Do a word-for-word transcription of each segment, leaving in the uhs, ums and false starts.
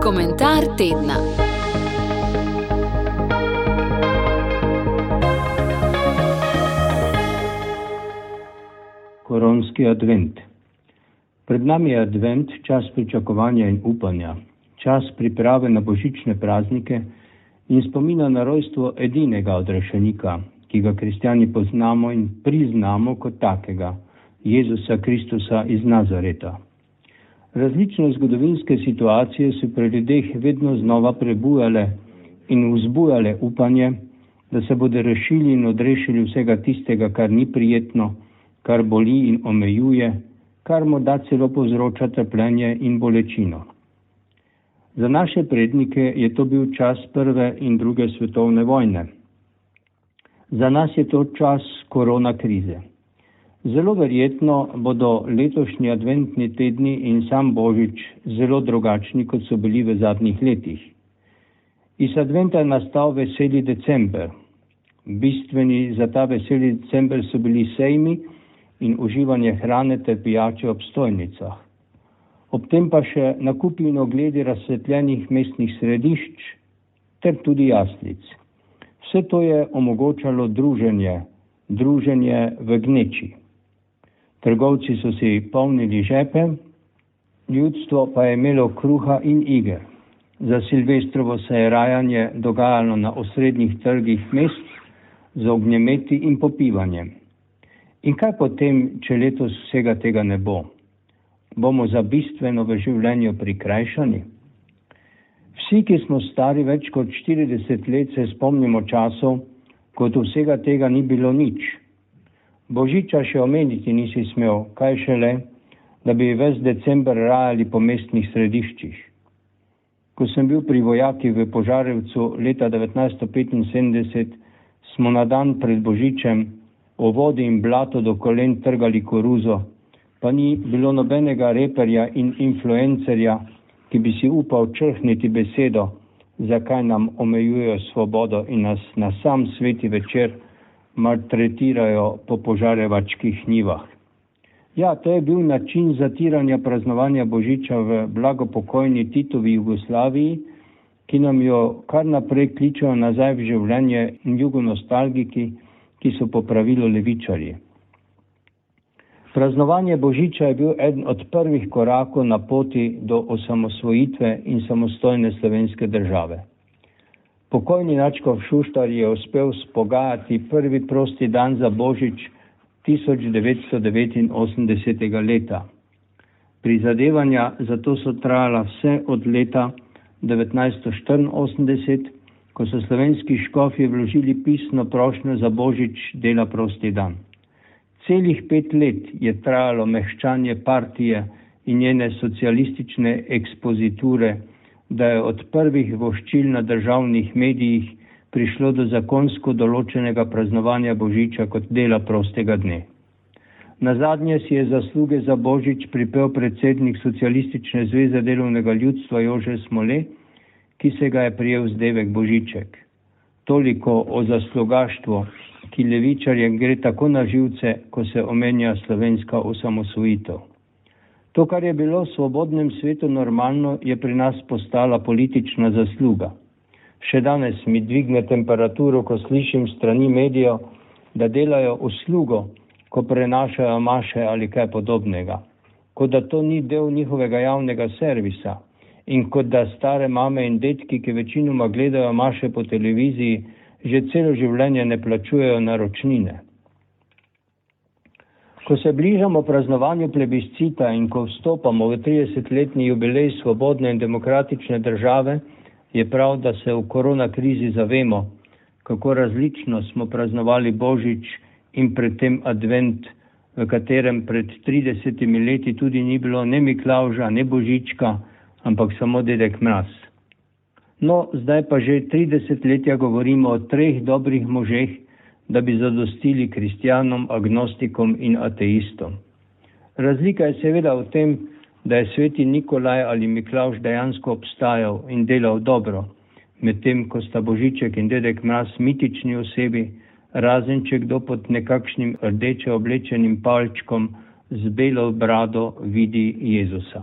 Komentar tedna. Koronski advent. Pred nami je advent, čas pričakovanja in upanja, čas priprave na božične praznike in spomina na rojstvo edinega odrešenika, ki ga kristjani poznamo in priznamo kot takega, Jezusa Kristusa iz Nazareta. Različne zgodovinske situacije so pri ljudeh vedno znova prebujale in vzbujale upanje, da se bodo rešili in odrešili vsega tistega, kar ni prijetno, kar boli in omejuje, kar morda celo povzroča trpljenje in bolečino. Za naše prednike je to bil čas prve in druge svetovne vojne. Za nas je to čas korona krize. Zelo verjetno bodo letošnji adventni tedni in sam Božič zelo drugačni, kot so bili v zadnjih letih. Iz adventa je nastal veseli december. Bistveni za ta veseli december so bili sejmi in uživanje hrane ter pijače ob stojnicah. Ob tem pa še nakupi in ogledi razsvetljenih mestnih središč ter tudi jaslic. Vse to je omogočalo druženje, druženje v gneči. Trgovci so si polnili žepe, ljudstvo pa je imelo kruha in iger. Za Silvestrovo se je rajanje dogajalo na osrednjih trgih mest z ognjemeti in popivanjem. In kaj potem, če letos vsega tega ne bo? Bomo za bistveno v življenju prikrajšani? Vsi, ki smo stari več kot štirideset let, se spomnimo časov, kot vsega tega ni bilo nič. Božiča še omeniti nisi smel, kaj šele, da bi ves december rajali po mestnih središčih. Ko sem bil pri vojaki v Požarevcu leta devetnajststo petinsedemdeset, smo na dan pred Božičem o vodi in blato do kolen trgali koruzo, pa ni bilo nobenega reperja in influencerja, ki bi si upal črhniti besedo, zakaj nam omejujejo svobodo in nas na sam sveti večer maltretirajo po požarevačkih njivah. Ja, to je bil način zatiranja praznovanja Božiča v blagopokojni Titovi Jugoslaviji, ki nam jo kar naprej kličejo nazaj v življenje jugonostalgiki, ki so po pravilu levičarji. Praznovanje Božiča je bil eden od prvih korakov na poti do osamosvojitve in samostojne slovenske države. Pokojni nadškof Šuštar je uspel spogajati prvi prosti dan za Božič tisoč devetsto devetinosemdesetega leta. Prizadevanja za to so trajala vse od leta devetnajststo štiriinosemdeset, ko so slovenski škofje vložili pisno prošnjo za Božič dela prosti dan. Celih pet let je trajalo mehčanje partije in njene socialistične ekspoziture, da je od prvih voščil na državnih medijih prišlo do zakonsko določenega praznovanja Božiča kot dela prostega dne. Nazadnje si je zasluge za Božič pripel predsednik Socialistične zveze delovnega ljudstva Jože Smole, ki se ga je prijel zdevek Božiček. Toliko o zaslugaštvu, ki levičarjem gre tako na živce, ko se omenja slovenska osamosvojitev. To, kar je bilo v svobodnem svetu normalno, je pri nas postala politična zasluga. Še danes mi dvigne temperaturo, ko slišim strani medijev, da delajo uslugo, ko prenašajo maše ali kaj podobnega. Kot da to ni del njihovega javnega servisa in kot da stare mame in detki, ki večinoma gledajo maše po televiziji, že celo življenje ne plačujejo naročnine. Ko se bližamo praznovanju plebiscita in ko vstopamo v tridesetletni jubilej svobodne in demokratične države, je prav, da se v koronakrizi zavemo, kako različno smo praznovali Božič in predtem advent, v katerem pred tridesetimi leti tudi ni bilo ne Miklavža, ne Božička, ampak samo Dedek Mraz. No, zdaj pa že tri desetletja govorimo o treh dobrih možeh, da bi zadostili kristjanom, agnostikom in ateistom. Razlika je seveda v tem, da je sveti Nikolaj ali Miklavž dejansko obstajal in delal dobro, medtem ko sta Božiček in Dedek Mraz mitični osebi, razen če kdo pod nekakšnim rdeče oblečenim palčkom z belo brado vidi Jezusa.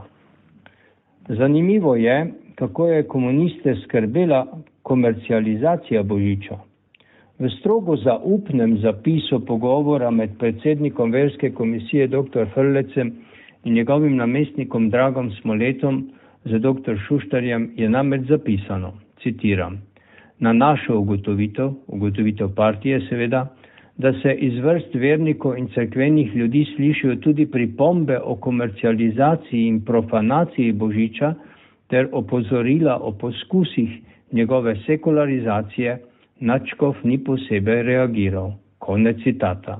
Zanimivo je, kako je komuniste skrbela komercializacija Božiča. V strogo zaupnem zapisu pogovora med predsednikom verske komisije doktor Frlecem in njegovim namestnikom Dragom Smoletom z doktor Šuštarjem je namreč zapisano, citiram, na našo ugotovitev, ugotovitev partije seveda, da se iz vrst vernikov in cerkvenih ljudi slišijo tudi pripombe o komercializaciji in profanaciji Božiča ter opozorila o poskusih njegove sekularizacije, nadškof ni posebej reagiral. Konec citata.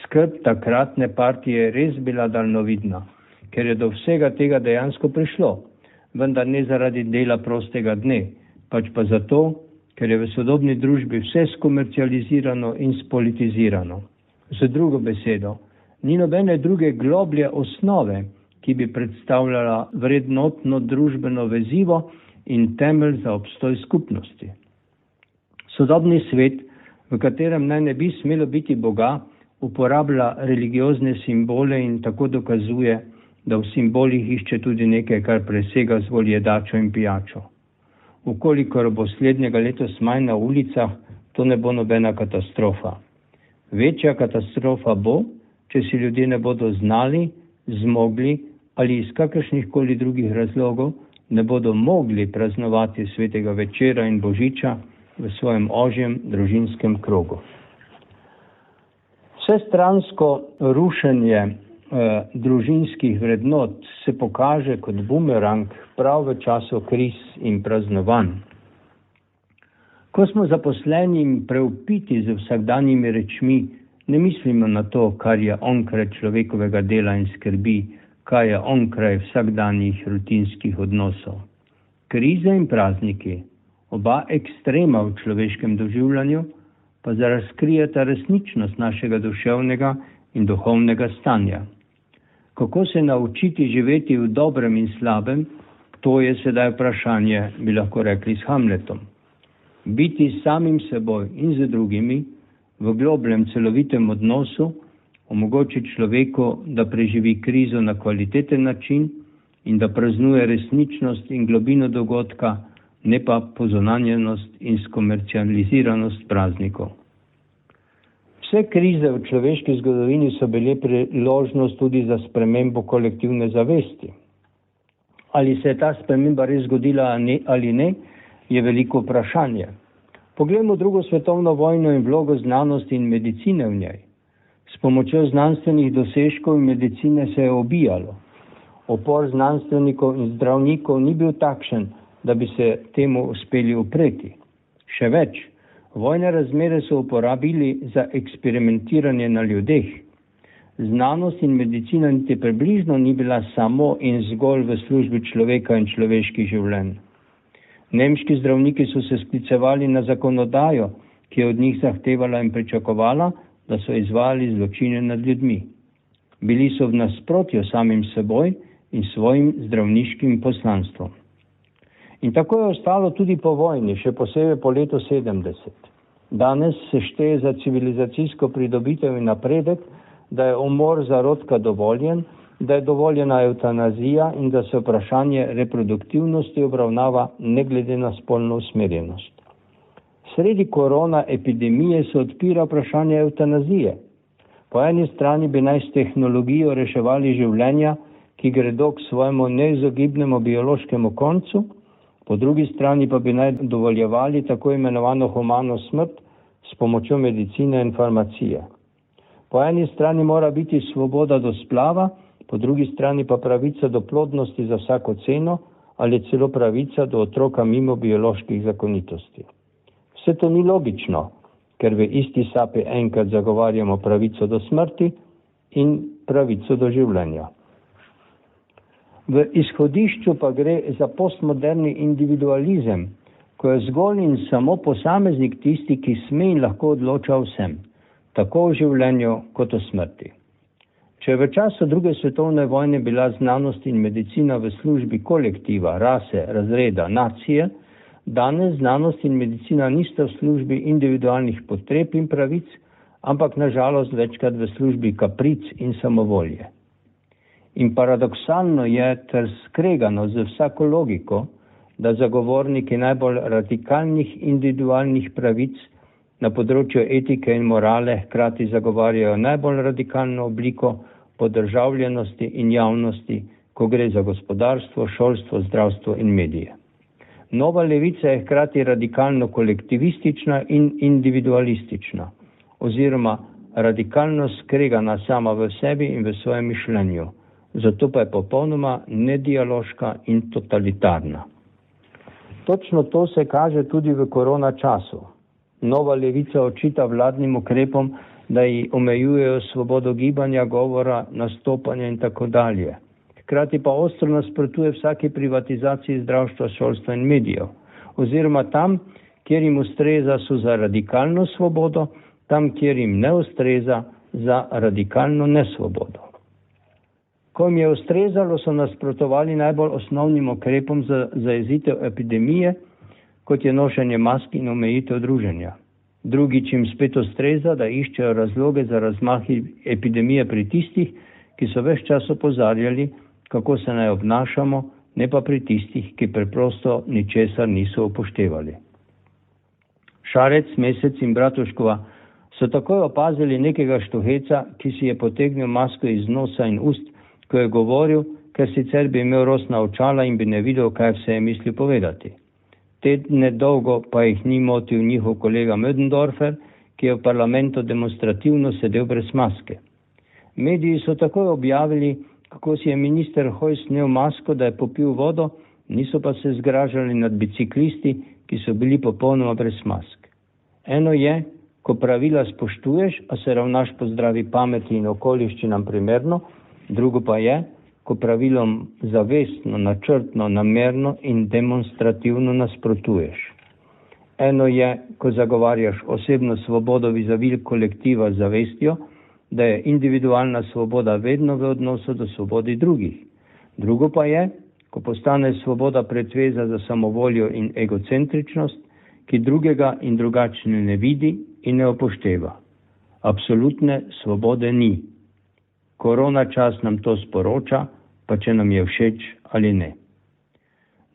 Skrb takratne partije je res bila daljnovidna, ker je do vsega tega dejansko prišlo, vendar ne zaradi dela prostega dne, pač pa zato, ker je v sodobni družbi vse skomercializirano in spolitizirano. Z drugo besedo, ni nobene druge globlje osnove, ki bi predstavljala vrednotno družbeno vezivo in temelj za obstoj skupnosti. Sodobni svet, v katerem naj ne bi smelo biti Boga, uporablja religiozne simbole in tako dokazuje, da v simbolih išče tudi nekaj, kar presega zgolj jedačo in pijačo. Ukolikor bo slednjega letos manj na ulicah, to ne bo nobena katastrofa. Večja katastrofa bo, če si ljudje ne bodo znali, zmogli ali iz kakršnih koli drugih razlogov ne bodo mogli praznovati svetega večera in Božiča v svojem ožjem družinskem krogu. Vsestransko rušenje eh, družinskih vrednot se pokaže kot bumerang prav v času kriz in praznovanj. Ko smo zaposleni in preupiti z vsakdanjimi rečmi, ne mislimo na to, kar je onkraj človekovega dela in skrbi, kaj je onkraj vsakdanjih rutinskih odnosov. Krize in prazniki, oba ekstrema v človeškem doživljanju, pa razkrijeta resničnost našega duševnega in duhovnega stanja. Kako se naučiti živeti v dobrem in slabem, to je sedaj vprašanje, bi lahko rekli s Hamletom. Biti samim seboj in z drugimi v globljem celovitem odnosu omogoči človeku, da preživi krizo na kvaliteten način in da praznuje resničnost in globino dogodka, ne pa pozonanjenost in skomercializiranost praznikov. Vse krize v človeški zgodovini so bile priložnost tudi za spremembo kolektivne zavesti. Ali se je ta sprememba res zgodila ali ne, je veliko vprašanje. Poglejmo drugo svetovno vojno in vlogo znanosti in medicine v njej. S pomočjo znanstvenih dosežkov in medicine se je obijalo. Opor znanstvenikov in zdravnikov ni bil takšen, da bi se temu uspeli upreti. Še več, vojne razmere so uporabili za eksperimentiranje na ljudeh. Znanost in medicina niti približno ni bila samo in zgolj v službi človeka in človeških življenj. Nemški zdravniki so se sklicevali na zakonodajo, ki je od njih zahtevala in pričakovala, da so izvajali zločine nad ljudmi. Bili so v nasprotju samim seboj in svojim zdravniškim poslanstvom. In tako je ostalo tudi po vojni, še posebej po letu sedemdeset. Danes se šteje za civilizacijsko pridobitev in napredek, da je umor zarodka dovoljen, da je dovoljena evtanazija in da se vprašanje reproduktivnosti obravnava ne glede na spolno usmerjenost. Sredi korona epidemije se odpira vprašanje evtanazije. Po eni strani bi naj s tehnologijo reševali življenja, ki gredo k svojemu neizogibnemu biološkemu koncu, po drugi strani pa bi naj dovoljevali tako imenovano humano smrt s pomočjo medicine in farmacije. Po eni strani mora biti svoboda do splava, po drugi strani pa pravica do plodnosti za vsako ceno ali celo pravica do otroka mimo bioloških zakonitosti. Vse to ni logično, ker v isti sapi enkrat zagovarjamo pravico do smrti in pravico do življenja. V izhodišču pa gre za postmoderni individualizem, ko je zgolj in samo posameznik tisti, ki sme in lahko odloča o vsem, tako o življenju kot o smrti. Če je v času druge svetovne vojne bila znanost in medicina v službi kolektiva, rase, razreda, nacije, danes znanost in medicina nista v službi individualnih potreb in pravic, ampak nažalost večkrat v službi kapric in samovolje. In paradoksalno je ter skregano z vsako logiko, da zagovorniki najbolj radikalnih individualnih pravic na področju etike in morale hkrati zagovarjajo najbolj radikalno obliko podržavljenosti in javnosti, ko gre za gospodarstvo, šolstvo, zdravstvo in medije. Nova levica je hkrati radikalno kolektivistična in individualistična, oziroma radikalno skregana sama v sebi in v svojem mišljenju, zato pa je popolnoma nedialoška in totalitarna. Točno to se kaže tudi v korona času. Nova levica očita vladnim ukrepom, da ji omejujejo svobodo gibanja, govora, nastopanja in tako dalje. Hkrati pa ostro nasprotuje vsaki privatizaciji zdravstva, šolstva in medijev. Oziroma tam, kjer jim ustreza, so za radikalno svobodo, tam, kjer jim ne ustreza, za radikalno nesvobodo. Ko jim je ustrezalo, so nasprotovali najbolj osnovnim ukrepom za zajezitev epidemije, kot je nošenje mask in omejitev druženja. Drugič jim spet ustreza, da iščejo razloge za razmah epidemije pri tistih, ki so ves čas opozarjali, kako se naj obnašamo, ne pa pri tistih, ki preprosto ničesar niso upoštevali. Šarec, Mesec in Bratuškova so takoj opazili nekega štuheca, ki si je potegnil masko iz nosa in ust, ko je govoril, ker sicer bi imel rosna očala in bi ne videl, kaj vse je mislil povedati. Tedne dolgo pa jih ni motil njihov kolega Mödendorfer, ki je v parlamentu demonstrativno sedel brez maske. Mediji so takoj objavili, kako si je minister Hojs snel masko, da je popil vodo, niso pa se zgražali nad biciklisti, ki so bili popolnoma brez mask. Eno je, ko pravila spoštuješ, a se ravnaš po zdravi pameti in okoliščinam primerno, drugo pa je, ko pravilom zavestno, načrtno, namerno in demonstrativno nasprotuješ. Eno je, ko zagovarjaš osebno svobodo vizavi kolektiva z zavestjo, da je individualna svoboda vedno v odnosu do svobodi drugih. Drugo pa je, ko postane svoboda pretveza za samovoljo in egocentričnost, ki drugega in drugačne ne vidi in ne upošteva. Absolutne svobode ni. Korona čas nam to sporoča, pa če nam je všeč ali ne.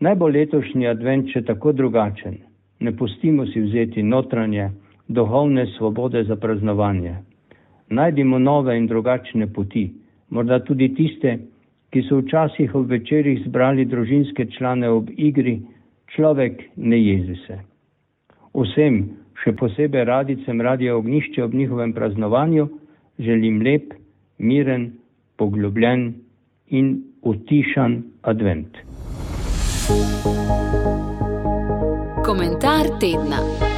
Naj bo letošnji advent še tako drugačen. Ne pustimo si vzeti notranje, duhovne svobode za praznovanje. Najdimo nove in drugačne poti, morda tudi tiste, ki so včasih ob večerih zbrali družinske člane ob igri, človek ne jezi se. Vsem, še posebej radicem Radia Ognjišče ob njihovem praznovanju, želim lep, miren, poglobljen in utišan advent. Komentar tedna.